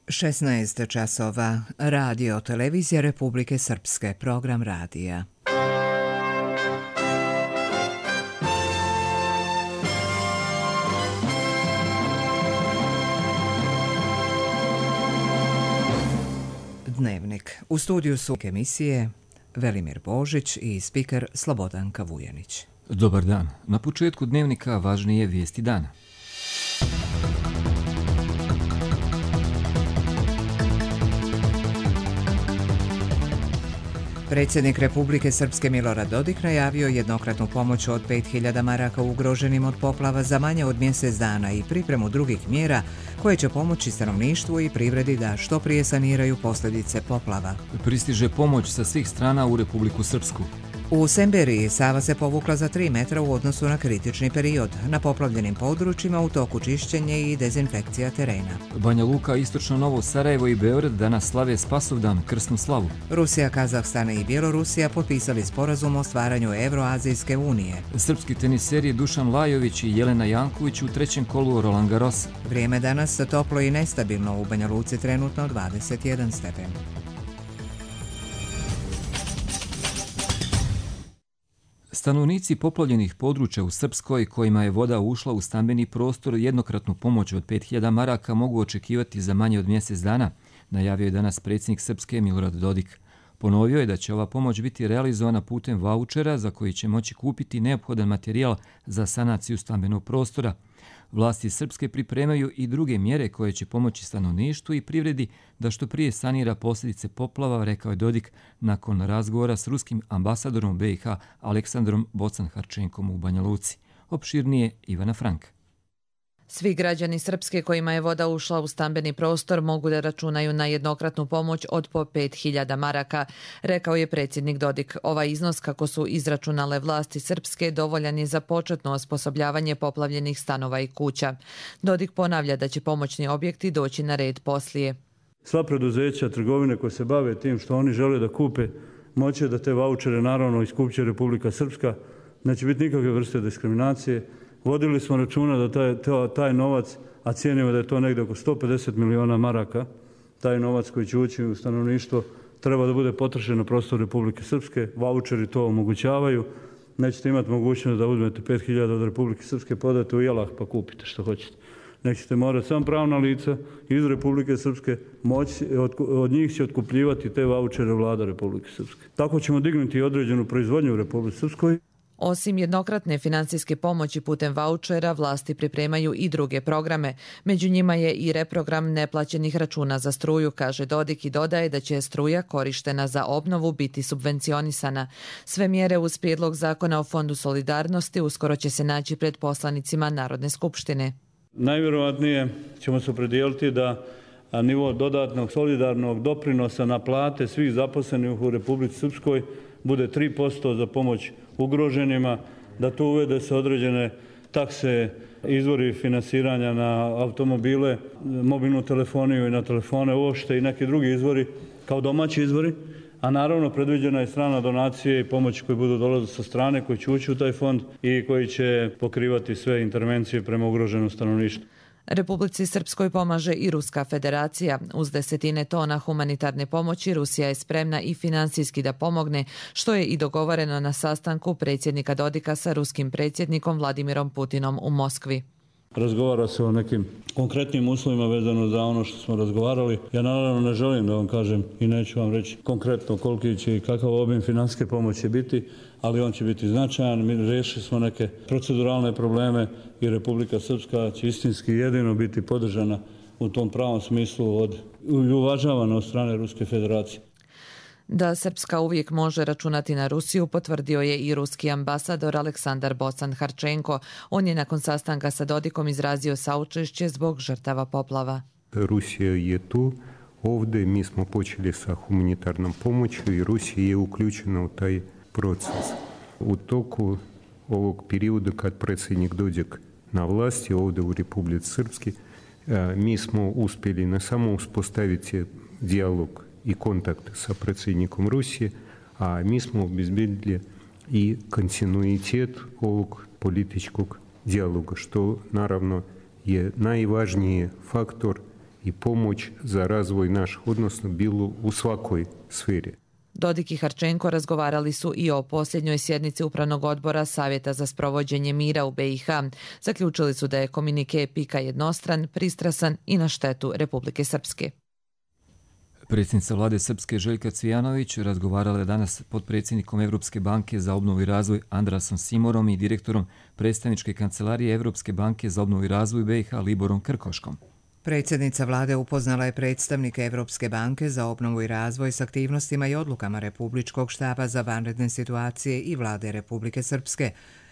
16 časova. Radio televizija Republike Srpske. Program radija. Dnevnik. U studiju su emisije Velimir Božić i spiker Slobodanka Vujanić. Dobar dan. Na početku dnevnika važnije vijesti dana. Predsjednik Republike Srpske Milorad Dodik najavio jednokratnu pomoć od 5.000 maraka ugroženim od poplava za manje od mjesec dana i pripremu drugih mjera koje će pomoći stanovništvu i privredi da što prije saniraju posljedice poplava. Pristiže pomoć sa svih strana u Republiku Srpsku. U Semberiji Sava se povukla za 3 metra u odnosu na kritični period. Na poplavljenim područjima u toku čišćenje i dezinfekcija terena. Banja Luka, Istočno Novo Sarajevo i Beograd danas slave Spasovdan, krsnu slavu. Rusija, Kazahstan i Bjelorusija potpisali sporazum o stvaranju Evroazijske unije. Srpski teniseri Dušan Lajović i Jelena Janković u trećem kolu Roland Garrosa. Vrijeme danas toplo i nestabilno, u Banja Luci trenutno 21 stepen. Stanovnici poplavljenih područja u Srpskoj kojima je voda ušla u stambeni prostor jednokratnu pomoć od 5.000 maraka mogu očekivati za manje od mjesec dana, najavio je danas predsjednik Srpske Milorad Dodik. Ponovio je da će ova pomoć biti realizovana putem vaučera za koji će moći kupiti neophodan materijal za sanaciju stambenog prostora. Vlasti Srpske pripremaju i druge mjere koje će pomoći stanovništvu i privredi da što prije sanira posljedice poplava, rekao je Dodik nakon razgovora s ruskim ambasadorom BiH Aleksandrom Bocan-Harčenkom u Banja Luci. Opširnije Ivana Frank. Svi građani Srpske kojima je voda ušla u stambeni prostor mogu da računaju na jednokratnu pomoć od po 5.000 maraka, rekao je predsjednik Dodik. Ovaj iznos, kako su izračunale vlasti Srpske, dovoljan je za početno osposobljavanje poplavljenih stanova i kuća. Dodik ponavlja da će pomoćni objekti doći na red poslije. Sva preduzeća, trgovine koje se bave tim što oni žele da kupe, moće da te vaučere naravno iskupće Republika Srpska. Neće biti nikakve vrste diskriminacije. Vodili smo računa da taj novac, a cijenimo da je to negdje oko 150 miliona maraka, taj novac koji će ući u stanovništvo treba da bude potrošen na prostor Republike Srpske. Vaučeri to omogućavaju. Nećete imati mogućnost da uzmete 5.000 od Republike Srpske, podate u Jelah pa kupite što hoćete. Nećete morati sam pravna lica iz Republike Srpske, od njih će otkupljivati te vaučere vlada Republike Srpske. Tako ćemo dignuti određenu proizvodnju u Republike Srpskoj. Osim jednokratne financijske pomoći putem vaučera, vlasti pripremaju i druge programe. Među njima je i reprogram neplaćenih računa za struju, kaže Dodik i dodaje da će struja korištena za obnovu biti subvencionisana. Sve mjere uz prijedlog zakona o Fondu solidarnosti uskoro će se naći pred poslanicima Narodne skupštine. Najvjerovatnije ćemo se opredijeliti da nivo dodatnog solidarnog doprinosa na plate svih zaposlenih u Republici Srpskoj bude 3% za pomoć ugroženima, da tu uvede se određene takse, izvori finansiranja na automobile, mobilnu telefoniju i na telefone uopšte i neki drugi izvori kao domaći izvori, a naravno predviđena je strana donacije i pomoć koje budu dolaziti sa strane, koji će ući u taj fond i koji će pokrivati sve intervencije prema ugroženom stanovništvu. Republici Srpskoj pomaže i Ruska federacija. Uz 10 tona humanitarne pomoći Rusija je spremna i financijski da pomogne, što je i dogovoreno na sastanku predsjednika Dodika sa ruskim predsjednikom Vladimirom Putinom u Moskvi. Razgovara se o nekim konkretnim uslovima vezano za ono što smo razgovarali. Ja naravno ne želim da vam kažem i neću vam reći konkretno koliki će i kakav obim financijske pomoći biti, ali on će biti značajan. Mi riješili smo neke proceduralne probleme i Republika Srpska će istinski jedino biti podržana u tom pravom smislu i uvažavana od strane Ruske federacije. Da Srpska uvijek može računati na Rusiju potvrdio je i ruski ambasador Aleksandar Bocan-Harčenko. On je nakon sastanka sa Dodikom izrazio saučešće zbog žrtava poplava. Rusija je tu. Ovdje mi smo počeli sa humanitarnom pomoću i Rusija je uključena u taj proces. U toku ovog perioda kad predsjednik Dodik na vlasti ovdje u Republici Srpski, mi smo uspjeli ne samo uspostaviti dijalog i kontakt sa predsjednikom Rusije, a mi smo obezbedili i kontinuitet ovog političkog dijaloga, što naravno je najvažniji faktor i pomoć za razvoj naših odnosa bilo u svakoj sferi. Dodik i Harčenko razgovarali su i o posljednjoj sjednici Upravnog odbora Savjeta za sprovođenje mira u BiH. Zaključili su da je komunike PIK-a jednostran, pristrasan i na štetu Republike Srpske. Predsjednica vlade Srpske Željka Cvijanović razgovarala je danas s potpredsjednikom Evropske banke za obnovu i razvoj Andrasom Simorom i direktorom predstavničke kancelarije Evropske banke za obnovu i razvoj BiH Liborom Krkoškom. Predsjednica vlade upoznala je predstavnike Evropske banke za obnovu i razvoj s aktivnostima i odlukama Republičkog štaba za vanredne situacije i vlade Republike Srpske,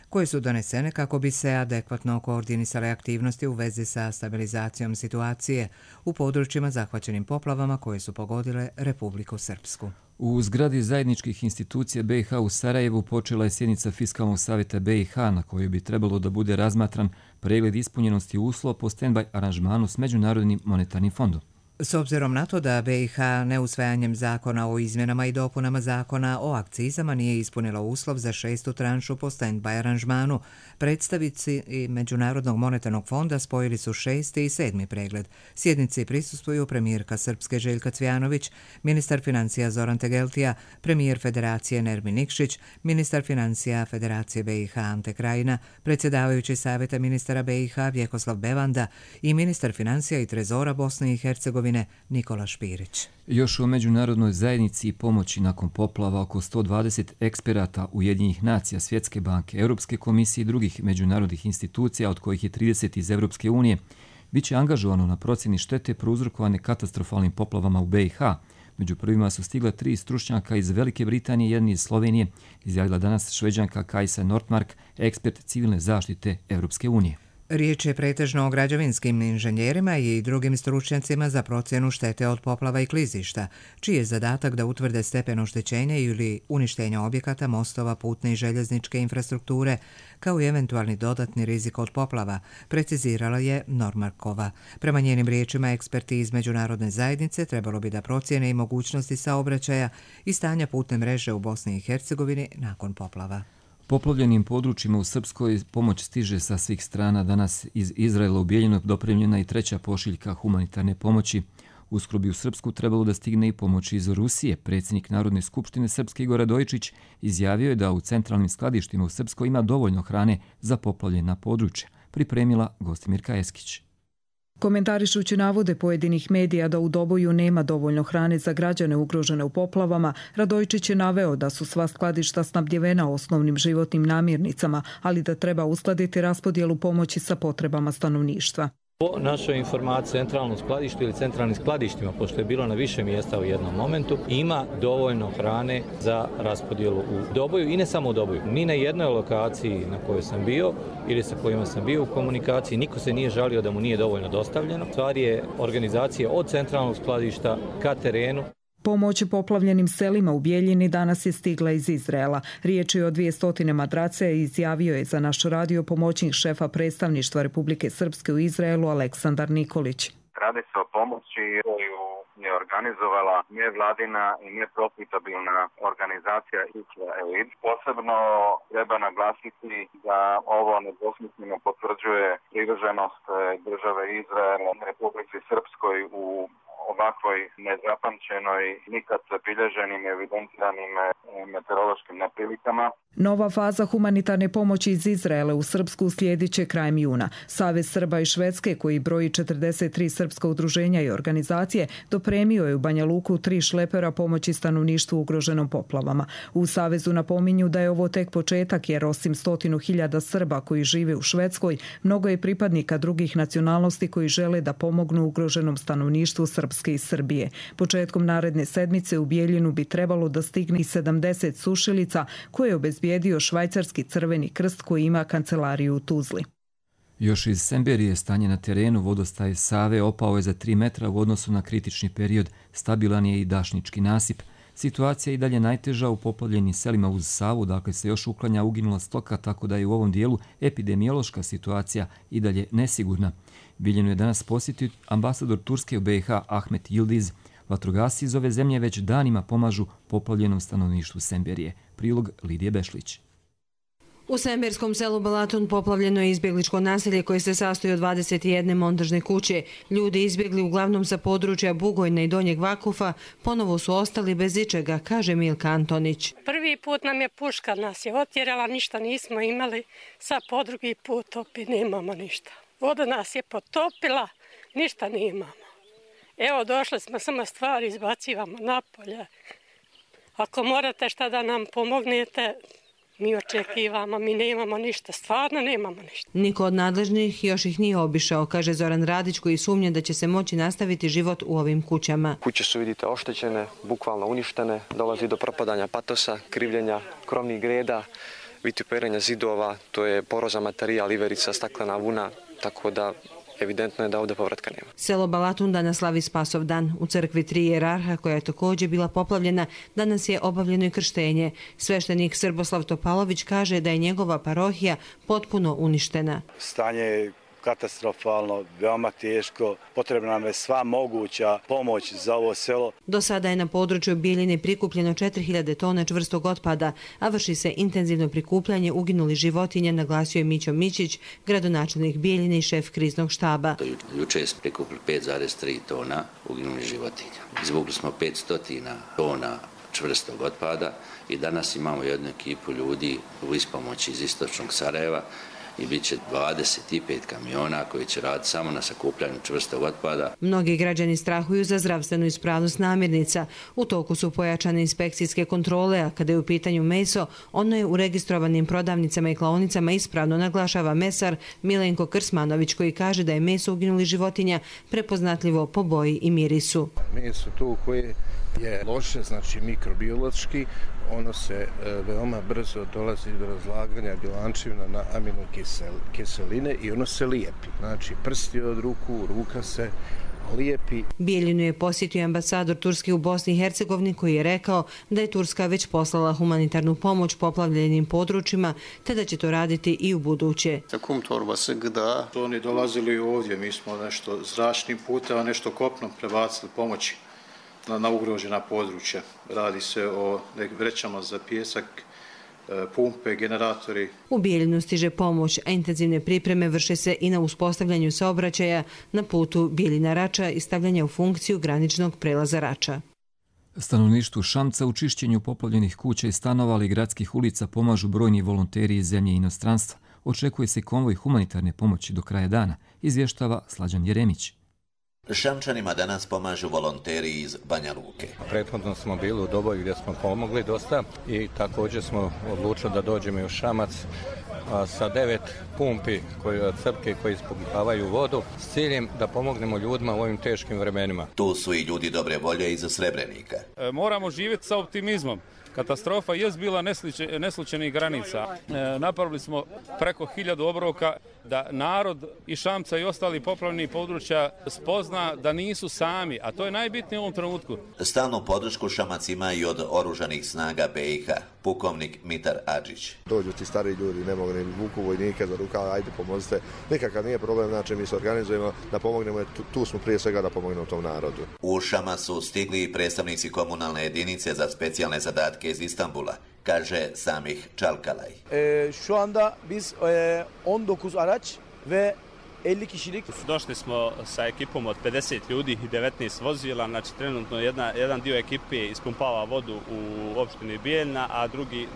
koje su donesene kako bi se adekvatno koordinisale aktivnosti u vezi sa stabilizacijom situacije u područjima zahvaćenim poplavama koje su pogodile Republiku Srpsku. U zgradi zajedničkih institucija BiH u Sarajevu počela je sjednica Fiskalnog savjeta BiH na kojoj bi trebalo da bude razmatran pregled ispunjenosti uslova po stand-by aranžmanu s Međunarodnim monetarnim fondom. S obzirom na to da BiH neusvajanjem zakona o izmjenama i dopunama zakona o akcizama nije ispunila uslov za 6. tranšu po stand-by aranžmanu, predstavnici Međunarodnog monetarnog fonda spojili su 6. i 7. pregled. Sjednici prisustvuju premijerka Srpske Željka Cvijanović, ministar financija Zoran Tegeltija, premijer Federacije Nermin Nikšić, ministar financija Federacije BiH Ante Krajina, predsjedavajući savjeta ministara BiH Vjekoslav Bevanda i ministar financija i trezora Bosne i Hercegovine Nikola Špirić. Još o međunarodnoj zajednici i pomoći nakon poplava oko 120 eksperata Ujedinjenih nacija, Svjetske banke, Europske komisije i drugih međunarodnih institucija, od kojih je 30 iz Europske unije, bit će angažovano na procjeni štete prouzrokovane katastrofalnim poplavama u BiH. Među prvima su stigla 3 stručnjaka iz Velike Britanije i jedan iz Slovenije, izjavila danas Šveđanka Kajsa Nordmark, ekspert civilne zaštite Europske unije. Riječ je pretežno o građevinskim inženjerima i drugim stručnjacima za procjenu štete od poplava i klizišta, čiji je zadatak da utvrde stepen oštećenja ili uništenja objekata, mostova, putne i željezničke infrastrukture, kao i eventualni dodatni rizik od poplava, precizirala je Nordmarkova. Prema njenim riječima, eksperti iz međunarodne zajednice trebalo bi da procjene i mogućnosti saobraćaja i stanja putne mreže u Bosni i Hercegovini nakon poplava. Poplavljenim područjima u Srpskoj pomoć stiže sa svih strana. Danas iz Izraela u Bijeljinu dopremljena i 3. pošiljka humanitarne pomoći. Uskoro bi u Srpsku trebalo da stigne i pomoć iz Rusije. Predsjednik Narodne skupštine Srpske Igor Radojičić izjavio je da u centralnim skladištima u Srpskoj ima dovoljno hrane za poplavljena područja. Pripremila Gostimirka Eskić. Komentarišući navode pojedinih medija da u Doboju nema dovoljno hrane za građane ugrožene u poplavama, Radojičić je naveo da su sva skladišta snabdjevena osnovnim životnim namirnicama, ali da treba uskladiti raspodjelu pomoći sa potrebama stanovništva. Po našoj informaciji, centralnom skladištu ili centralnim skladištima, pošto je bilo na više mjesta u jednom momentu, ima dovoljno hrane za raspodjelu u Doboju i ne samo u Doboju. Ni na jednoj lokaciji na kojoj sam bio ili sa kojima sam bio u komunikaciji, niko se nije žalio da mu nije dovoljno dostavljeno. Stvar je organizacije od centralnog skladišta ka terenu. Pomoć poplavljenim selima u Bijeljini danas je stigla iz Izraela. Riječ je o 200 madrace, izjavio je za naš radio pomoćnik šefa predstavništva Republike Srpske u Izraelu Aleksandar Nikolić. Radi se o pomoći koju je organizovala nevladina i neprofitabilna organizacija Isla Elid. Posebno treba naglasiti da ovo nedvosmisleno potvrđuje privrženost države Izraela Republici Srpskoj u ovakvoj nezapamćenoj, nikad zabilježenim i evidentiranim meteorološkim neprilikama. Nova faza humanitarne pomoći iz Izraela u Srpsku slijedit će krajem juna. Savez Srba i Švedske, koji broji 43 srpska udruženja i organizacije, dopremio je u Banja Luku 3 šlepera pomoći stanovništvu ugroženom poplavama. U Savezu napominju da je ovo tek početak, jer osim 100.000 Srba koji žive u Švedskoj, mnogo je pripadnika drugih nacionalnosti koji žele da pomognu ugroženom stanovništvu Srpske i Srbije. Početkom naredne sedmice u Bijeljinu bi trebalo da stigne i 70 sušilica koje je obezbijedio švajcarski Crveni krst koji ima kancelariju u Tuzli. Još iz Semberije stanje na terenu. Vodostaj Save opao je za 3 metra u odnosu na kritični period. Stabilan je i dašnički nasip. Situacija je i dalje najteža u poplavljenim selima uz Savu, dakle se još uklanja uginula stoka, tako da je u ovom dijelu epidemiološka situacija i dalje nesigurna. Bijeljinu je danas posjetio ambasador Turske u BiH Ahmet Yildiz. Vatrogasci iz ove zemlje već danima pomažu poplavljenom stanovništvu Semberije. Prilog Lidije Bešlić. U Semberskom selu Balatun poplavljeno je izbjegličko naselje koje se sastoji od 21 montažne kuće. Ljudi izbjegli uglavnom sa područja Bugojna i Donjeg Vakufa ponovo su ostali bez ičega, kaže Milka Antonić. Prvi put nam je puška nas je otjerala, ništa nismo imali, sad po drugi put opet nemamo ništa. Voda nas je potopila, ništa nemamo. Evo došli smo, samo stvari izbacivamo napolje. Ako morate šta da nam pomognete, mi očekivamo, mi nemamo ništa, stvarno nemamo ništa. Niko od nadležnih još ih nije obišao, kaže Zoran Radić, koji sumnja da će se moći nastaviti život u ovim kućama. Kuće su, vidite, oštećene, bukvalno uništene, dolazi do propadanja patosa, krivljenja krovnih greda, vituperenja zidova, to je porozan materijal, iverica, staklena vuna, tako da evidentno je da ovdje povratka nema. Selo Balatun danas slavi Spasov dan. U crkvi Tri jerarha, koja je također bila poplavljena, danas je obavljeno i krštenje. Sveštenik Srboslav Topalović kaže da je njegova parohija potpuno uništena. Stanje je katastrofalno, veoma teško, potrebna nam je sva moguća pomoć za ovo selo. Do sada je na području Bijeljine prikupljeno 4000 tona čvrstog otpada, a vrši se intenzivno prikupljanje uginulih životinja, naglasio je Mićo Mićić, gradonačelnik Bijeljine i šef kriznog štaba. Juče smo prikupili 5,3 tona uginulih životinja. Izvukli smo 500 tona čvrstog otpada i danas imamo jednu ekipu ljudi u ispomoći iz istočnog Sarajeva i bit će 25 kamiona koji će raditi samo na sakupljanju čvrstog otpada. Mnogi građani strahuju za zdravstvenu ispravnost namirnica. U toku su pojačane inspekcijske kontrole, a kada je u pitanju meso, ono je u registrovanim prodavnicama i klaonicama ispravno, naglašava mesar Milenko Krsmanović, koji kaže da je meso uginulih životinja prepoznatljivo po boji i mirisu. Meso to koje je loše, znači mikrobiološki, ono se veoma brzo dolazi do razlaganja bjelančevina na aminokiseline i ono se lijepi. Znači prsti od ruku, ruka se lijepi. Bijeljinu je posjetio ambasador Turske u Bosni i Hercegovini, koji je rekao da je Turska već poslala humanitarnu pomoć poplavljenim područjima, te da će to raditi i u buduće. Oni dolazili ovdje, mi smo nešto zračnim putem, a nešto kopnom prebacili pomoći na ugrožena područja. Radi se o vrećama za pijesak, pumpe, generatori. U Bijeljinu stiže pomoć, a intenzivne pripreme vrše se i na uspostavljanju saobraćaja na putu Bijeljina-Rača i stavljanja u funkciju graničnog prelaza Rača. Stanovništvu Šamca u čišćenju poplavljenih kuća i stanova ali gradskih ulica pomažu brojni volonteri iz zemlje i inostranstva. Očekuje se konvoj humanitarne pomoći do kraja dana, izvještava Slađan Jeremić. Šamčanima danas pomažu volonteri iz Banja Luke. Prethodno smo bili u Doboju gdje smo pomogli dosta i također smo odlučili da dođemo i u Šamac sa 9 pumpi od crpke koji ispumpavaju vodu s ciljem da pomognemo ljudima u ovim teškim vremenima. Tu su i ljudi dobre volje iz Srebrenika. Moramo živjeti sa optimizmom. Katastrofa je bila neslučajnih granica. Napravili smo preko 1000 obroka da narod i Šamca i ostali poplavljenih područja spozna da nisu sami, a to je najbitnije u ovom trenutku. Stalnu podršku Šamac ima i od oružanih snaga BiH, pukovnik Mitar Adžić. Dođu ti stari ljudi, ne mogu ni vuku vojnike za rukav, ajde pomozite. Nikakav nije problem, znači mi se organizujemo da pomognemo, tu smo prije svega da pomognemo tom narodu. U Šamac su stigli i predstavnici komunalne jedinice za specijalne zadatke iz Istanbula, kaže Samih Çalkalay. Şu anda biz 19 araç ve 50 kişilik. Došli smo sa ekipom od 50 ljudi i 19 vozila, znači trenutno jedan dio ekipe ispumpava vodu u opštini Bijeljina, a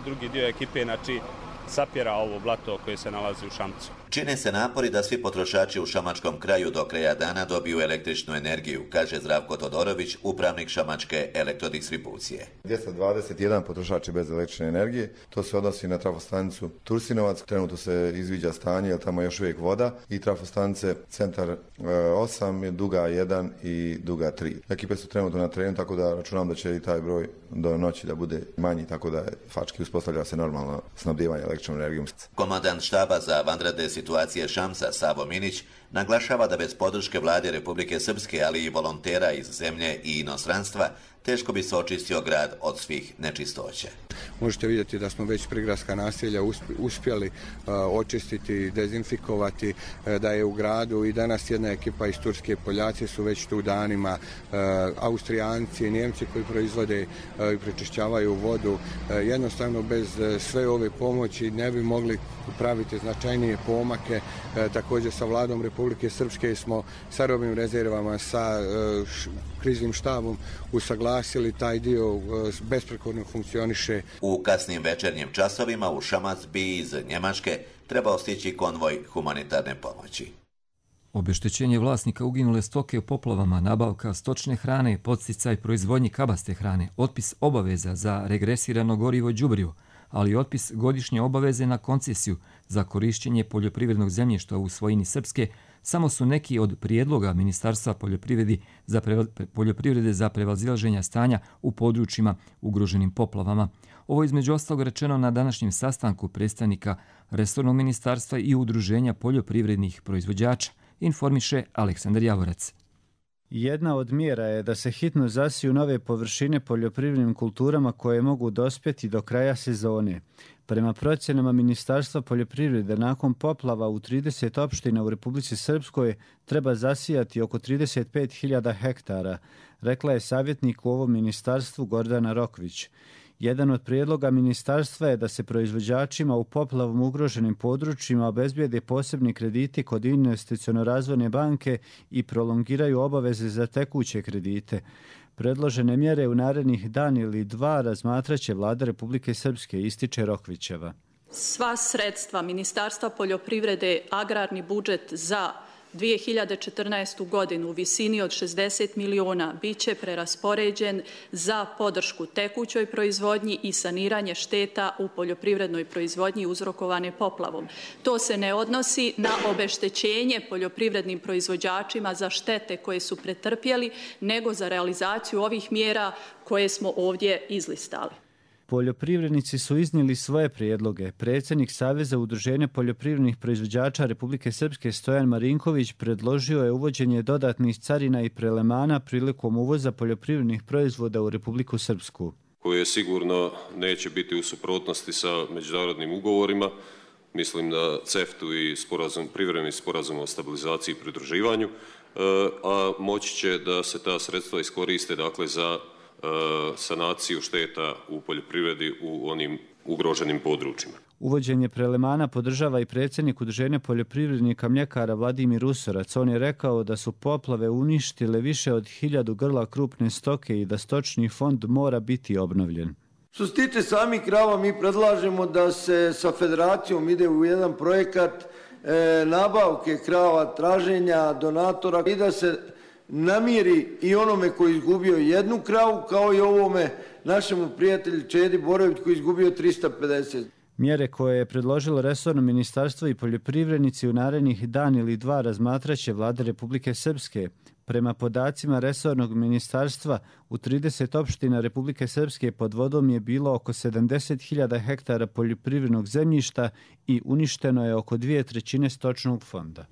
drugi dio ekipe znači sapjera ovo blato koje se nalazi u Šamcu. Čine se napori da svi potrošači u šamačkom kraju do kraja dana dobiju električnu energiju, kaže Zdravko Todorović, upravnik šamačke elektrodistribucije. 221 potrošač je bez električne energije, to se odnosi na trafostanicu Tursinovac, trenutno se izviđa stanje, jer tamo je još uvijek voda, i trafostanice Centar 8, Duga 1 i Duga 3. Ekipe su trenutno na terenu, tako da računam da će i taj broj do noći da bude manji, tako da fački uspostavlja se normalno snabdijevanje električnom energijom. Komandant štaba za vanredne situacije Šamca, Savo Minić, naglašava da bez podrške vlade Republike Srpske, ali i volontera iz zemlje i inostranstva, teško bi se očistio grad od svih nečistoća. Možete vidjeti da smo već prigradska naselja uspjeli očistiti, dezinfikovati, da je u gradu i danas jedna ekipa iz Turske, Poljaci su već tu danima, Austrijanci, Njemci koji proizvode i prečišćavaju vodu. Jednostavno bez sve ove pomoći ne bi mogli praviti značajnije pomake. Također sa vladom Republike Srpske smo sa robnim rezervama, sa kriznim štabom usaglasili taj dio, besprekorno funkcioniše. U kasnim večernjim časovima u Šamac bi iz Njemačke trebao stići konvoj humanitarne pomoći. Obeštećenje vlasnika uginule stoke u poplavama, nabavka stočne hrane, podsticaj proizvodnji kabaste hrane, otpis obaveza za regresirano gorivo đubrivo, ali i otpis godišnje obaveze na koncesiju za korišćenje poljoprivrednog zemljišta u svojini Srpske samo su neki od prijedloga Ministarstva poljoprivrede za prevazilaženje stanja u područjima ugroženim poplavama. Ovo je između ostalog rečeno na današnjem sastanku predstavnika resornog ministarstva i udruženja poljoprivrednih proizvođača, informiše Aleksandar Javorac. Jedna od mjera je da se hitno zasiju nove površine poljoprivrednim kulturama koje mogu dospjeti do kraja sezone. Prema procjenama Ministarstva poljoprivrede, nakon poplava u 30 opština u Republici Srpskoj treba zasijati oko 35.000 hektara, rekla je savjetnik u ovom ministarstvu Gordana Rokvić. Jedan od prijedloga ministarstva je da se proizvođačima u poplavom ugroženim područjima obezbijede posebni krediti kod Investiciono-razvojne banke i prolongiraju obaveze za tekuće kredite. Predložene mjere u narednih dan ili dva razmatraće Vlada Republike Srpske, ističe Rokvićeva. Sva sredstva Ministarstva poljoprivrede, agrarni budžet za 2014. godinu u visini od 60 miliona bit će preraspoređen za podršku tekućoj proizvodnji i saniranje šteta u poljoprivrednoj proizvodnji uzrokovane poplavom. To se ne odnosi na obeštećenje poljoprivrednim proizvođačima za štete koje su pretrpjeli, nego za realizaciju ovih mjera koje smo ovdje izlistali. Poljoprivrednici su iznijeli svoje prijedloge. Predsjednik Saveza udruženja poljoprivrednih proizvođača Republike Srpske Stojan Marinković predložio je uvođenje dodatnih carina i prelemana prilikom uvoza poljoprivrednih proizvoda u Republiku Srpsku, koje sigurno neće biti u suprotnosti sa međunarodnim ugovorima. Mislim na CEFTA-u i privremeni sporazum o stabilizaciji i pridruživanju, a moći će da se ta sredstva iskoriste za sanaciju šteta u poljoprivredi u onim ugroženim područjima. Uvođenje prelemana podržava i predsjednik udruženja poljoprivrednika mljekara Vladimir Usorac. On je rekao da su poplave uništile više od 1000 grla krupne stoke i da stočni fond mora biti obnovljen. Što se tiče samih krava, mi predlažemo da se sa federacijom ide u jedan projekat nabavke krava, traženja donatora i da se namiri i onome koji je izgubio jednu kravu, kao i ovome našemu prijatelju Čedi Borović koji je izgubio 350. Mjere koje je predložilo resorno ministarstvo i poljoprivrednici u narednih dan ili dva razmatraće Vlada Republike Srpske. Prema podacima resornog ministarstva, u 30 opština Republike Srpske pod vodom je bilo oko 70.000 hektara poljoprivrednog zemljišta i uništeno je oko 2/3 stočnog fonda.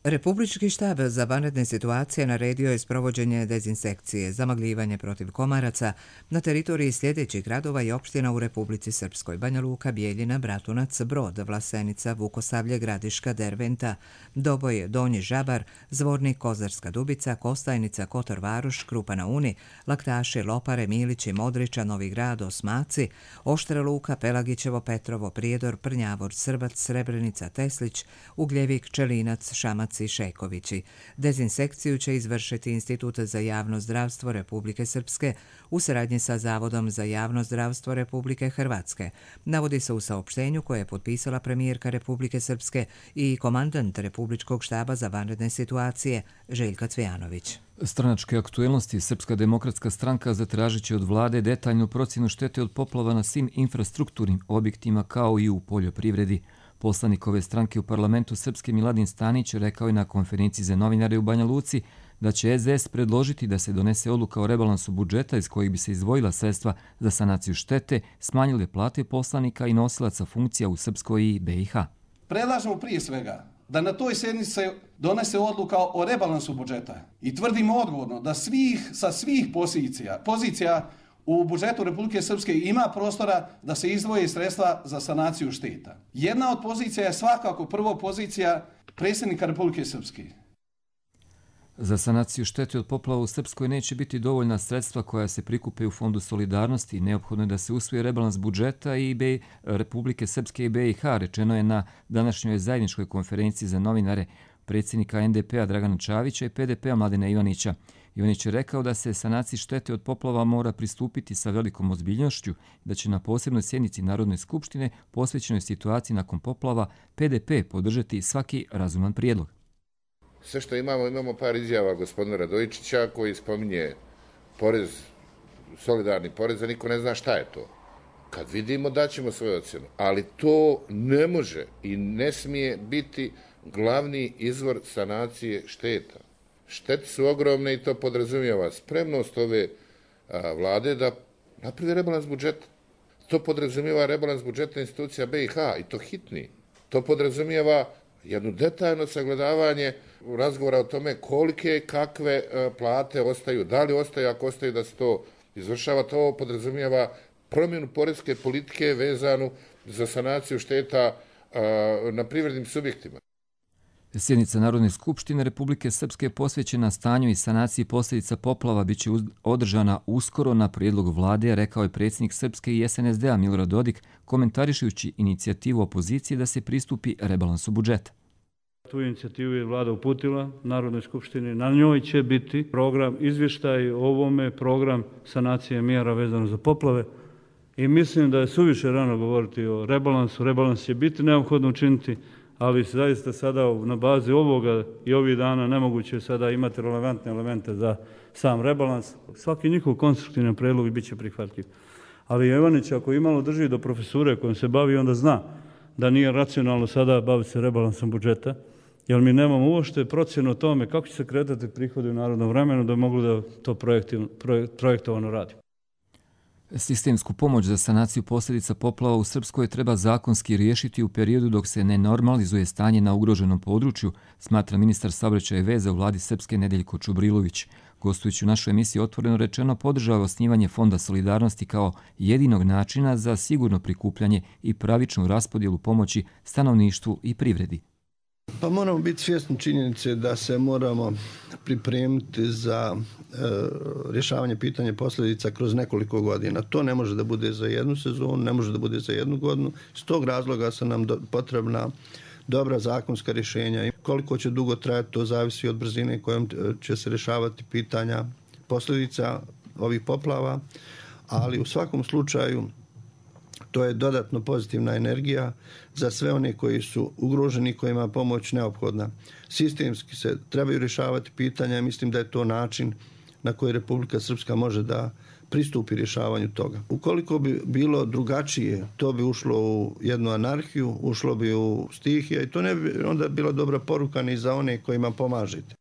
Republički štab za vanredne situacije naredio je sprovođenje dezinsekcije, zamagljivanje protiv komaraca na teritoriji sljedećih gradova i opština u Republici Srpskoj: Banja Luka, Bijeljina, Bratunac, Brod, Vlasenica, Vukosavlje, Gradiška, Derventa, Doboj, Donji Žabar, Zvornik, Kozarska Dubica, Kostajnica, Kotor Varoš, Krupa na Uni, Laktaši, Lopare, Milići, Modriča, Novi Grad, Osmaci, Oštra Luka, Pelagićevo, Petrovo, Prijedor, Prnjavor, Srbac, Srebrenica, Teslić, Ugljevik, Čelinac, Šamac i Šejkovići. Dezinsekciju će izvršiti Institut za javno zdravstvo Republike Srpske u saradnji sa Zavodom za javno zdravstvo Republike Hrvatske. Navodi se u saopštenju koje je potpisala premijerka Republike Srpske i komandant Republičkog štaba za vanredne situacije Željka Cvijanović. Stranačke aktuelnosti Srpska demokratska stranka zatražit će od vlade detaljnu procjenu štete od poplava na svim infrastrukturnim objektima kao i u poljoprivredi. Poslanik ove stranke u parlamentu Srpske Miladin Stanić rekao je na konferenciji za novinare u Banja Luci da će SDS predložiti da se donese odluka o rebalansu budžeta iz kojih bi se izdvojila sredstva za sanaciju štete, smanjile plate poslanika i nosilaca funkcija u Srpskoj i BiH. Predlažemo prije svega da na toj sjednici se donese odluka o rebalansu budžeta. I tvrdimo odgovorno da sa svih pozicija u budžetu Republike Srpske ima prostora da se izdvoje sredstva za sanaciju šteta. Jedna od pozicija je svakako prvo pozicija predsjednika Republike Srpske. Za sanaciju štete od poplava u Srpskoj neće biti dovoljna sredstva koja se prikupe u Fondu solidarnosti. Neophodno je da se usvoji rebalans budžeta i Republike Srpske i BiH, rečeno je na današnjoj zajedničkoj konferenciji za novinare predsjednika NDP-a Dragana Čavića i PDP-a Mladena Ivanića. Ivanić je rekao da se sanaciji štete od poplava mora pristupiti sa velikom ozbiljnošću, da će na posebnoj sjednici Narodne skupštine posvećenoj situaciji nakon poplava PDP podržati svaki razuman prijedlog. Sve što imamo par izjava gospodina Radojičića koji spominje porez, solidarni porez, a niko ne zna šta je to. Kad vidimo daćemo svoju ocjenu, ali to ne može i ne smije biti glavni izvor sanacije šteta. Štete su ogromne i to podrazumijeva spremnost ove vlade da napravi rebalans budžeta. To podrazumijeva rebalans budžeta institucija BiH i to hitni. To podrazumijeva jedno detaljno sagledavanje razgovora o tome kolike kakve plate ostaju, da li ostaju, ako ostaju da se to izvršava. To podrazumijeva promjenu poreske politike vezanu za sanaciju šteta na privrednim subjektima. Sjednica Narodne skupštine Republike Srpske posvećena stanju i sanaciji posljedica poplava biće održana uskoro na prijedlog vlade, rekao je predsjednik Srpske i SNSD-a Milorad Dodik, komentarišujući inicijativu opozicije da se pristupi rebalansu budžeta. Tu inicijativu je vlada uputila Narodnoj skupštini. Na njoj će biti program, izvještaj o ovome, program sanacije mjera vezano za poplave. I mislim da je suviše rano govoriti o rebalansu. Rebalans će biti neophodno učiniti, ali zaista sada na bazi ovoga i ovih dana nemoguće sada imati relevantne elemente za sam rebalans. Svaki njihov konstruktivni predlog bit će prihvatljiv. Ali Ivanić, ako imalo drži do profesure kojom se bavi, onda zna da nije racionalno sada baviti se rebalansom budžeta, jer mi nemamo uopšte procjenu o tome kako će se kretati prihodi u narodnom vremenu da mogu da to projektovano radi. Sistemsku pomoć za sanaciju posljedica poplava u Srpskoj treba zakonski riješiti u periodu dok se ne normalizuje stanje na ugroženom području, smatra ministar saobraćaja i veza u vladi Srpske Nedeljko Čubrilović. Gostujući u našoj emisiji Otvoreno rečeno podržava osnivanje Fonda solidarnosti kao jedinog načina za sigurno prikupljanje i pravičnu raspodjelu pomoći stanovništvu i privredi. Pa moramo biti svjesni činjenice da se moramo pripremiti za rješavanje pitanja posljedica kroz nekoliko godina. To ne može da bude za jednu sezonu, ne može da bude za jednu godinu. S tog razloga su nam potrebna dobra zakonska rješenja. Koliko će dugo trajati, to zavisi od brzine kojom će se rješavati pitanja posljedica ovih poplava, ali u svakom slučaju to je dodatno pozitivna energija za sve one koji su ugroženi, kojima je pomoć neophodna. Sistemski se trebaju rješavati pitanja i mislim da je to način na koji Republika Srpska može da pristupi rješavanju toga. Ukoliko bi bilo drugačije, to bi ušlo u jednu anarhiju, ušlo bi u stihije i to ne bi onda bila dobra poruka ni za one kojima pomažete.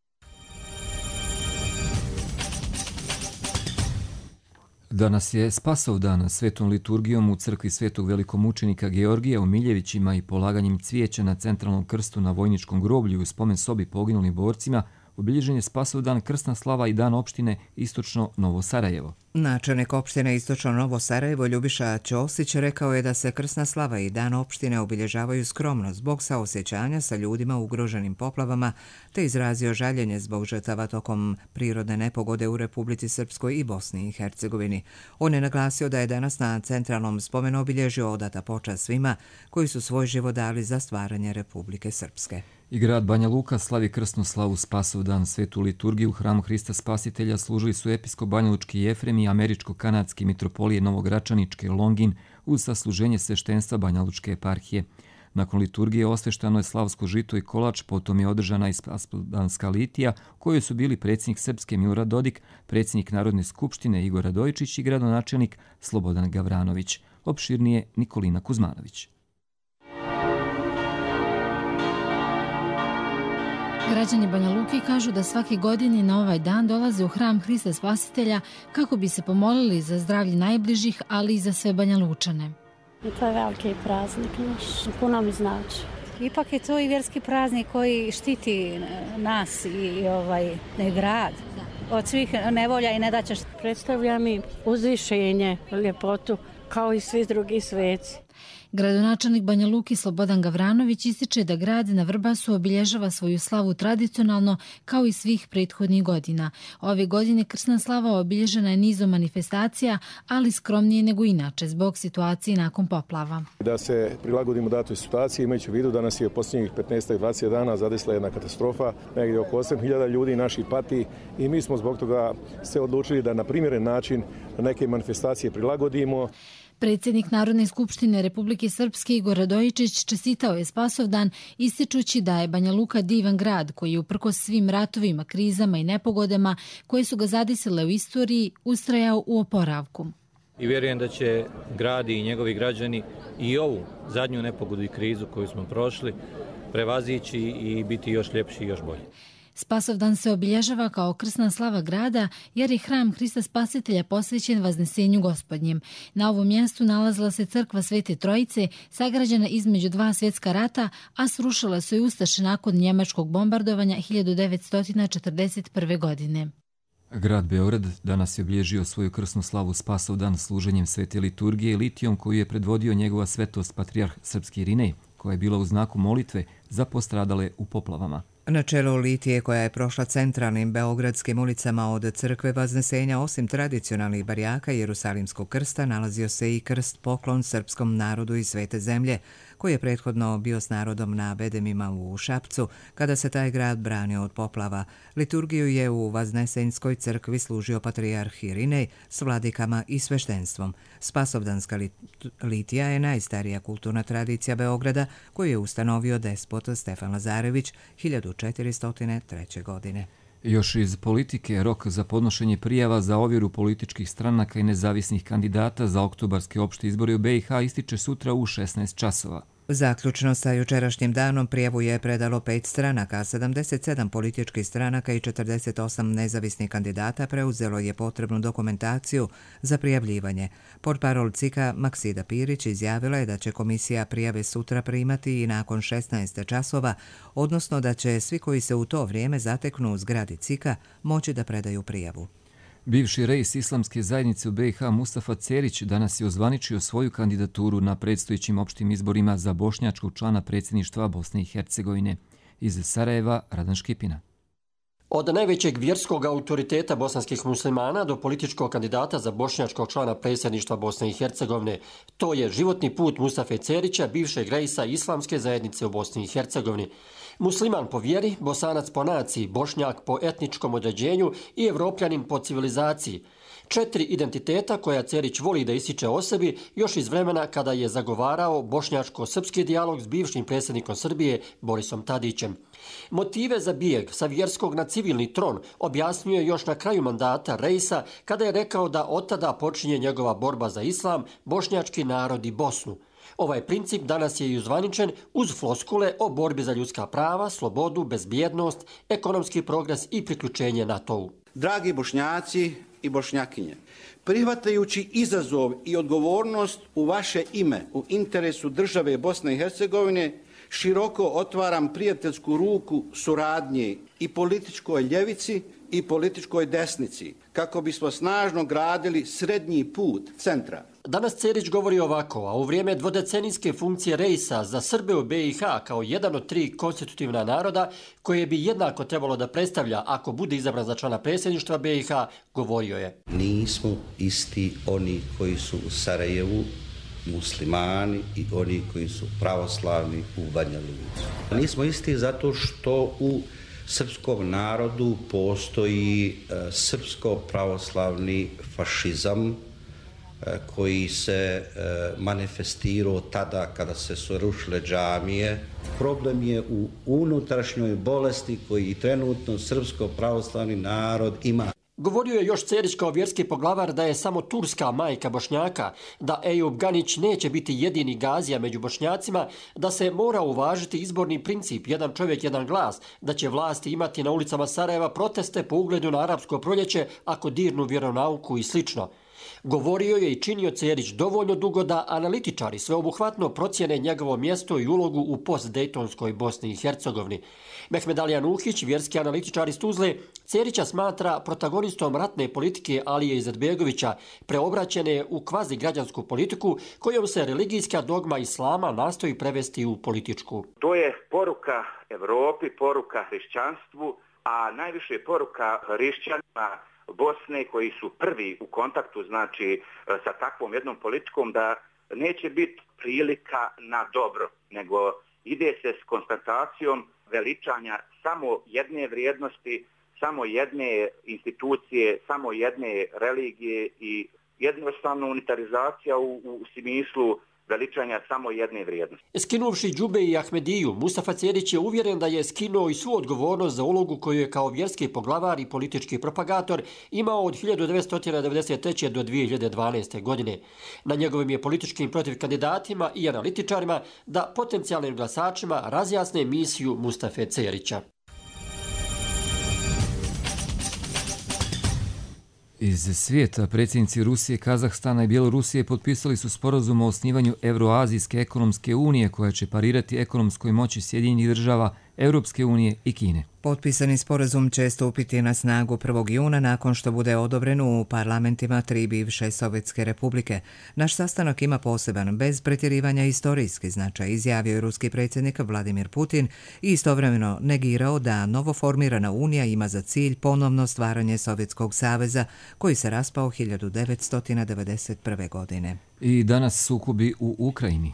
Danas je Spasovdan. Svetom liturgijom u crkvi Svetog velikomučenika Georgija u Miljevićima i polaganjem cvijeća na centralnom krstu na vojničkom groblju u spomen sobi poginulim borcima obilježen je Spasovdan, krsna slava i dan opštine Istočno Novo Sarajevo. Načelnik opštine Istočno Novo Sarajevo Ljubiša Ćosić rekao je da se krsna slava i dan opštine obilježavaju skromno zbog saosjećanja sa ljudima ugroženim poplavama, te izrazio žaljenje zbog žrtava tokom prirodne nepogode u Republici Srpskoj i Bosni i Hercegovini. On je naglasio da je danas na centralnom spomenu obilježio odata počast svima koji su svoj život dali za stvaranje Republike Srpske. I grad Banja Luka slavi krsnu slavu Spasovdan. Svetu liturgiju u hramu Hrista Spasitelja služili su episkop banjalučki Jefrem i američko-kanadski mitropolije Novogračaničke Longin uz sasluženje sveštenstva banjalučke eparhije. Nakon liturgije osveštano je slavsko žito i kolač, potom je održana i spasovdanska litija, u kojoj su bili predsjednik Srpske Milorad Dodik, predsjednik Narodne skupštine Igor Radojičić i gradonačelnik Slobodan Gavranović. Opširnije Nikolina Kuzmanović. Građani Banja Luke kažu da svake godine na ovaj dan dolaze u hram Hrista Spasitelja kako bi se pomolili za zdravlje najbližih, ali i za sve Banja Lučane. To je veliki praznik naš, puno mi znači. Ipak je to i vjerski praznik koji štiti nas i grad od svih nevolja i nedaća. Predstavlja mi uzvišenje, ljepotu, kao i svi drugi sveci. Gradonačelnik Banja Luke Slobodan Gavranović ističe da grad na Vrbasu obilježava svoju slavu tradicionalno kao i svih prethodnih godina. Ove godine krsna slava obilježena je nizom manifestacija, ali skromnije nego inače zbog situacije nakon poplava. Da se prilagodimo datoj situaciji, imajući u vidu da nas je posljednjih 15-20 dana zadesila jedna katastrofa, negdje oko 8.000 ljudi naših pati i mi smo zbog toga se odlučili da na primjeren način neke manifestacije prilagodimo. Predsjednik Narodne skupštine Republike Srpske Igor Radojičić čestitao je Spasovdan ističući da je Banja Luka divan grad koji je uprkos svim ratovima, krizama i nepogodama koje su ga zadesile u istoriji ustrajao u oporavku. I vjerujem da će grad i njegovi građani i ovu zadnju nepogodu i krizu koju smo prošli prevazići i biti još ljepši i još bolji. Spasovdan se obilježava kao krsna slava grada jer je hram Hrista Spasitelja posvećen Vaznesenju Gospodnjem. Na ovom mjestu nalazila se crkva Svete Trojice, sagrađena između dva svjetska rata, a srušila su je ustaše nakon njemačkog bombardovanja 1941. godine. Grad Beograd danas je obilježio svoju krsnu slavu Spasovdan služenjem svete liturgije litijom koju je predvodio njegova svetost patrijarh srpski Irinej, koja je bila u znaku molitve za postradale u poplavama. Na čelu litije koja je prošla centralnim beogradskim ulicama od crkve Vaznesenja, osim tradicionalnih barjaka Jerusalimskog krsta, nalazio se i krst poklon srpskom narodu i svete zemlje, koji je prethodno bio s narodom na bedemima u Šapcu, kada se taj grad branio od poplava. Liturgiju je u Vaznesenjskoj crkvi služio patrijarh Irinej s vladikama i sveštenstvom. Spasovdanska litija je najstarija kulturna tradicija Beograda, koju je ustanovio despot Stefan Lazarević 1403. godine. Još iz politike, rok za podnošenje prijava za ovjeru političkih stranaka i nezavisnih kandidata za oktobarske opšte izbore u BiH ističe sutra u 16 časova. Zaključno sa jučerašnjim danom prijavu je predalo 5 stranaka, 77 političkih stranaka i 48 nezavisnih kandidata preuzelo je potrebnu dokumentaciju za prijavljivanje. Portparol CIK-a Maksida Pirić izjavila je da će komisija prijave sutra primati i nakon 16 časova, odnosno da će svi koji se u to vrijeme zateknu u zgradi CIK-a moći da predaju prijavu. Bivši reis Islamske zajednice u BiH Mustafa Cerić danas je ozvaničio svoju kandidaturu na predstojećim opštim izborima za bošnjačkog člana predsjedništva Bosne i Hercegovine. Iz Sarajeva, Radan Škipina. Od najvećeg vjerskog autoriteta bosanskih muslimana do političkog kandidata za bošnjačkog člana predsjedništva Bosne i Hercegovine, to je životni put Mustafe Cerića, bivšeg reisa Islamske zajednice u Bosni i Hercegovini. Musliman po vjeri, Bosanac po naciji, Bošnjak po etničkom određenju i Evropljanin po civilizaciji. 4 identiteta koja Cerić voli da ističe o sebi još iz vremena kada je zagovarao bošnjačko-srpski dijalog s bivšim predsjednikom Srbije Borisom Tadićem. Motive za bijeg sa vjerskog na civilni tron objasnio je još na kraju mandata reisa kada je rekao da od tada počinje njegova borba za islam, bošnjački narod i Bosnu. Ovaj princip danas je i uzvaničen uz floskule o borbi za ljudska prava, slobodu, bezbjednost, ekonomski progres i priključenje NATO-u. Dragi bošnjaci i bošnjakinje, prihvatajući izazov i odgovornost u vaše ime, u interesu države Bosne i Hercegovine, široko otvaram prijateljsku ruku suradnje i političkoj ljevici i političkoj desnici, kako bismo snažno gradili srednji put centra. Danas Cerić govori ovako, a u vrijeme dvodecenijske funkcije reisa za Srbe u BiH kao jedan od 3 konstitutivna naroda koje bi jednako trebalo da predstavlja ako bude izabran za člana predsjedništva BiH, govorio je. Nismo isti oni koji su u Sarajevu, muslimani i oni koji su pravoslavni u Banja Luci. Nismo isti zato što u srpskom narodu postoji srpsko-pravoslavni fašizam koji se manifestirao tada kada se su rušile džamije. Problem je u unutrašnjoj bolesti koji trenutno srpsko-pravoslavni narod ima. Govorio je još Cerić kao vjerski poglavar da je samo turska majka Bošnjaka, da Ejub Ganić neće biti jedini gazija među Bošnjacima, da se mora uvažiti izborni princip jedan čovjek, jedan glas, da će vlasti imati na ulicama Sarajeva proteste po ugledu na arapsko proljeće ako dirnu vjeronauku i slično. Govorio je i činio Cerić dovoljno dugo da analitičari sveobuhvatno procjene njegovo mjesto i ulogu u postdejtonskoj Bosni i Hercegovini. Mehmed Ali Anuhić, vjerski analitičar iz Tuzle, Cerića smatra protagonistom ratne politike Alije Izetbegovića, preobraćene u kvazi građansku politiku kojom se religijska dogma islama nastoji prevesti u političku. To je poruka Evropi, poruka hrišćanstvu, a najviše je poruka hrišćanima Bosne koji su prvi u kontaktu znači sa takvom jednom politikom da neće biti prilika na dobro, nego ide se s konstatacijom veličanja samo jedne vrijednosti, samo jedne institucije, samo jedne religije i jednostavno unitarizacija u smislu veličanja samo jedne vrijednosti. Skinuvši džube i Ahmediju, Mustafa Cerić je uvjeren da je skinuo i svu odgovornost za ulogu koju je kao vjerski poglavar i politički propagator imao od 1993. do 2012. godine. Na njegovim je političkim protiv kandidatima i analitičarima da potencijalnim glasačima razjasne misiju Mustafe Cerića. Iz svijeta predsjednici Rusije, Kazahstana i Bjelorusije potpisali su sporazum o osnivanju Euroazijske ekonomske unije koja će parirati ekonomskoj moći Sjedinjenih država, Europske unije i Kine. Potpisani sporazum će stupiti na snagu 1. juna nakon što bude odobren u parlamentima 3 bivše Sovjetske republike. Naš sastanak ima poseban, bez pretjerivanja historijski značaj, izjavio je ruski predsjednik Vladimir Putin i istovremeno negirao da novoformirana unija ima za cilj ponovno stvaranje Sovjetskog saveza koji se raspao 1991. godine. I danas sukobi u Ukrajini.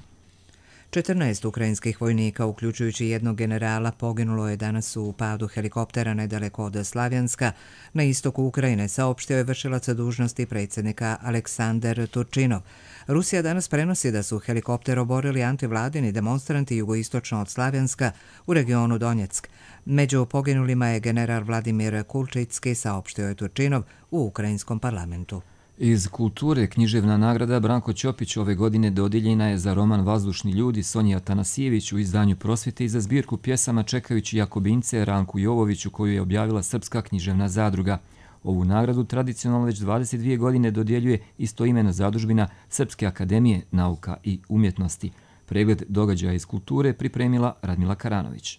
14 ukrajinskih vojnika, uključujući jednog generala, poginulo je danas u padu helikoptera nedaleko od Slavjanska na istoku Ukrajine, saopštio je vršilac dužnosti predsjednika Aleksandar Turčinov. Rusija danas prenosi da su helikopter oborili antivladini demonstranti jugoistočno od Slavjanska u regionu Donjeck. Među poginulima je general Vladimir Kulčicki, saopštio je Turčinov u ukrajinskom parlamentu. Iz kulture književna nagrada Branko Ćopić ove godine dodijeljena je za roman Vazdušni ljudi Sonji Atanasijević u izdanju Prosvjete i za zbirku pjesama Čekajući Jakobince Ranku Jovoviću koju je objavila Srpska književna zadruga. Ovu nagradu tradicionalno već 22 godine dodjeljuje istoimena zadužbina Srpske akademije nauka i umjetnosti. Pregled događaja iz kulture pripremila Radmila Karanović.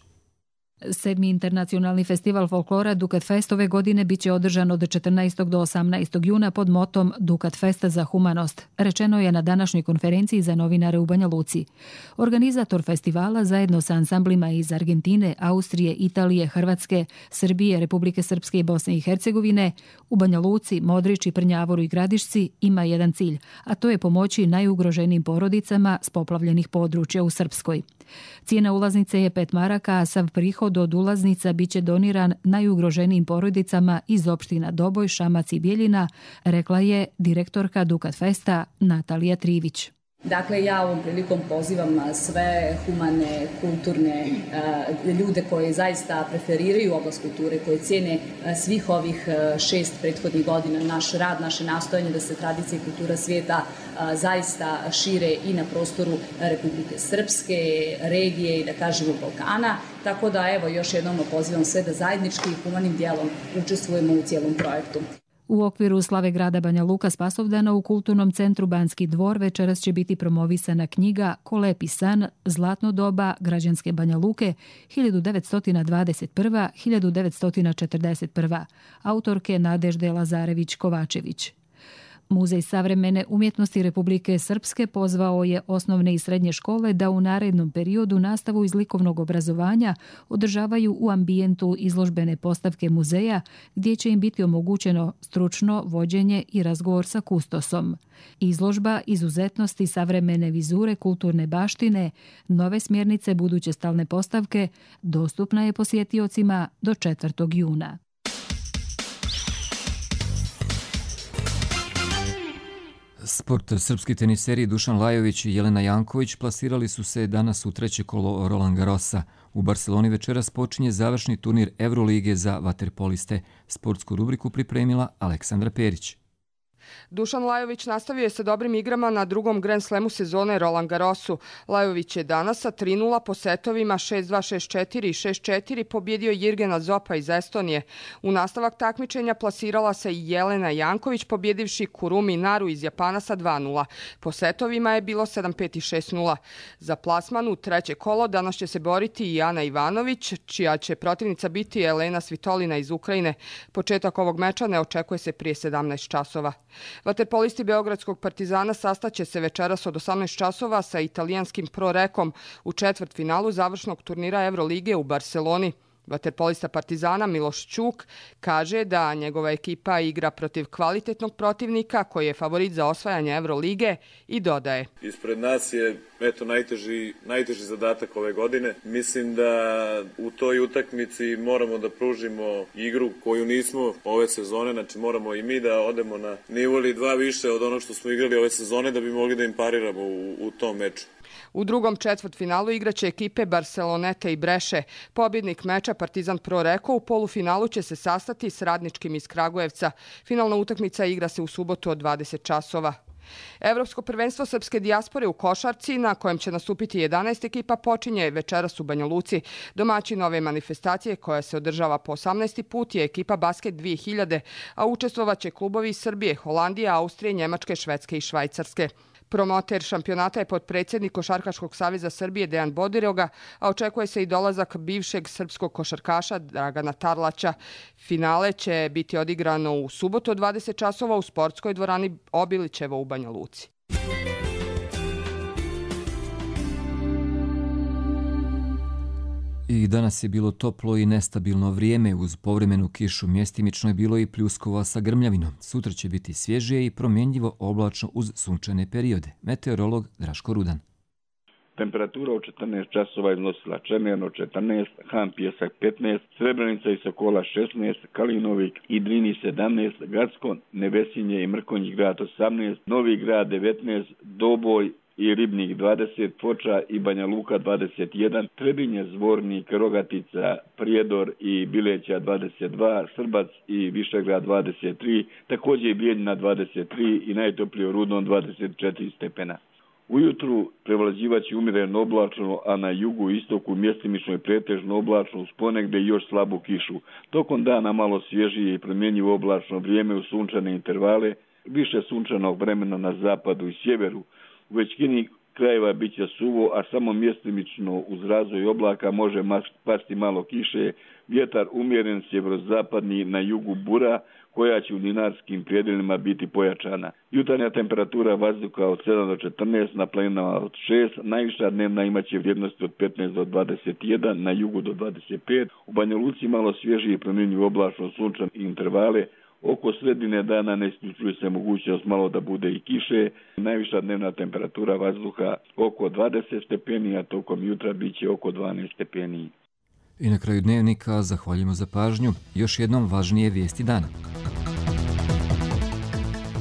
7. internacionalni festival folklora Dukat Fest ove godine biće održan od 14. do 18. juna pod motom Dukat Festa za humanost, rečeno je na današnjoj konferenciji za novinare u Banja Luci. Organizator festivala zajedno sa ansamblima iz Argentine, Austrije, Italije, Hrvatske, Srbije, Republike Srpske i Bosne i Hercegovine u Banja Luci, Modriči, Prnjavoru i Gradišci ima jedan cilj, a to je pomoći najugroženijim porodicama s poplavljenih područja u Srpskoj. Cijena ulaznice je 5 maraka, a sav prihod od ulaznica biće doniran najugroženijim porodicama iz opština Doboj, Šamac i Bijeljina, rekla je direktorka Dukat Festa Natalija Trivić. Dakle, ja ovom prilikom pozivam sve humane, kulturne ljude koji zaista preferiraju oblast kulture, koji cijene svih ovih 6 prethodnih godina naš rad, naše nastojanje da se tradicija i kultura svijeta zaista šire i na prostoru Republike Srpske, regije i da kažemo Balkana. Tako da evo još jednom pozivam sve da zajednički i humanim dijelom učestvujemo u cijelom projektu. U okviru slave grada Banja Luka Spasovdana u kulturnom centru Banski dvor večeras će biti promovisana knjiga Ko lepi san, zlatno doba građanske Banja Luke 1921-1941, autorke Nadežde Lazarević-Kovačević. Muzej savremene umjetnosti Republike Srpske pozvao je osnovne i srednje škole da u narednom periodu nastavu iz likovnog obrazovanja održavaju u ambijentu izložbene postavke muzeja gdje će im biti omogućeno stručno vođenje i razgovor sa kustosom. Izložba izuzetnosti savremene vizure kulturne baštine, nove smjernice buduće stalne postavke dostupna je posjetiocima do 4. juna. Sport. Srpski teniseri Dušan Lajović i Jelena Janković plasirali su se danas u 3. kolo Roland Garrosa. U Barceloni večeras počinje završni turnir Eurolige za vaterpoliste. Sportsku rubriku pripremila Aleksandra Perić. Dušan Lajović nastavio je sa dobrim igrama na drugom Grand Slamu sezone Roland Garrosu. Lajović je danas sa 3-0 po setovima 6-2, 6-4 i 6-4 pobjedio Jirgena Zopa iz Estonije. U nastavak takmičenja plasirala se i Jelena Janković pobjedivši Kurumi Naru iz Japana sa 2-0. Po setovima je bilo 7-5 i 6-0. Za plasman u treće kolo danas će se boriti i Ana Ivanović, čija će protivnica biti Elena Svitolina iz Ukrajine. Početak ovog meča ne očekuje se prije 17 časova. Vaterpolisti Beogradskog Partizana sastaće se večeras od 18 časova sa italijanskim Pro Rekom u četvrtfinalu završnog turnira Evrolige u Barseloni. Vaterpolista Partizana Miloš Ćuk kaže da njegova ekipa igra protiv kvalitetnog protivnika koji je favorit za osvajanje Evrolige i dodaje: Ispred nas je najteži zadatak ove godine. Mislim da u toj utakmici moramo da pružimo igru koju nismo ove sezone, znači moramo i mi da odemo na nivo ili dva više od onog što smo igrali ove sezone da bi mogli da im pariramo u tom meču. U drugom četvrtfinalu igraće ekipe Barcelonete i Breše. Pobjednik meča Partizan Pro Reko u polufinalu će se sastati s Radničkim iz Kragujevca. Finalna utakmica igra se u subotu od 20 časova. Evropsko prvenstvo srpske dijaspore u košarci, na kojem će nastupiti 11 ekipa, počinje večeras u Banja Luci. Domaćin ove manifestacije, koja se održava po 18. put, je ekipa Basket 2000, a učestvovaće klubovi iz Srbije, Holandije, Austrije, Njemačke, Švedske i Švajcarske. Promoter šampionata je potpredsjednik Košarkaškog saveza Srbije Dejan Bodiroga, a očekuje se i dolazak bivšeg srpskog košarkaša Dragana Tarlaća. Finale će biti odigrano u subotu od 20 časova u sportskoj dvorani Obilićevo u Banja Luci. I danas je bilo toplo i nestabilno vrijeme, uz povremenu kišu mjestimično je bilo i pljuskova sa grmljavinom. Sutra će biti svježije i promjenjivo oblačno uz sunčane periode. Meteorolog Draško Rudan. Temperatura u 14 časova iznosila Čemerno 14, Han Pjesak 15, Srebrenica i Sokola 16, Kalinovik i Drini 17, Gacko, Nevesinje i Mrkonji grad 18, Novi grad 19, Doboj i Ribnik 20, Foča i Banja Luka 21, Trebinje, Zvornik, Rogatica, Prijedor i Bileća 22, Srbac i Višegrad 23, također i Bijeljina 23 i najtoplije u Rudnom 24 stepena. Ujutru prevlađivaće umjereno oblačno, a na jugu i istoku mjestimično i pretežno oblačno uz ponegde još slabu kišu. Tokom dana malo svježije i promjenjivo oblačno vrijeme u sunčane intervale, više sunčanog vremena na zapadu i sjeveru. U većini krajeva bit će suvo, a samo mjestimično uz razvoj oblaka može pasti malo kiše. Vjetar umjeren sjeverozapadni, na jugu bura, koja će u dinarskim predjelima biti pojačana. Jutarnja temperatura vazduha od 7 do 14, na planinama od 6, najviša dnevna imaće vrijednosti od 15 do 21, na jugu do 25, u Banja Luci malo svježije i promjenjivo oblačno sunčane intervale. Oko sredine dana ne isključuje se mogućnost malo da bude i kiše. Najviša dnevna temperatura vazduha oko 20 stepeni, a tokom jutra bit će oko 12 stepeni. I na kraju dnevnika zahvaljujemo za pažnju. Još jednom važnije vijesti dana.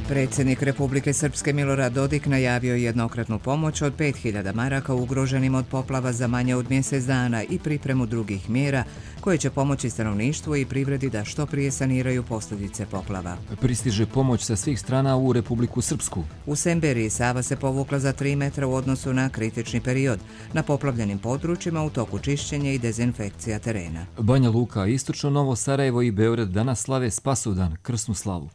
Predsjednik Republike Srpske Milorad Dodik najavio jednokratnu pomoć od 5000 maraka ugroženim od poplava za manje od mjesec dana i pripremu drugih mjera koje će pomoći stanovništvu i privredi da što prije saniraju posljedice poplava. Pristiže pomoć sa svih strana u Republiku Srpsku. U Semberiji Sava se povukla za 3 metra u odnosu na kritični period. Na poplavljenim područjima u toku čišćenja i dezinfekcija terena. Banja Luka, Istočno Novo Sarajevo i Beograd danas slave Spasovdan, krsnu slavu.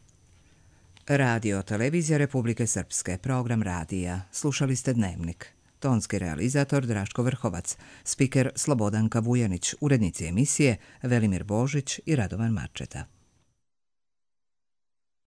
Radio Televizija Republike Srpske, program radija. Slušali ste Dnevnik. Tonski realizator Draško Vrhovac, spiker Slobodanka Vujanić, urednici emisije Velimir Božić i Radovan Marčeta.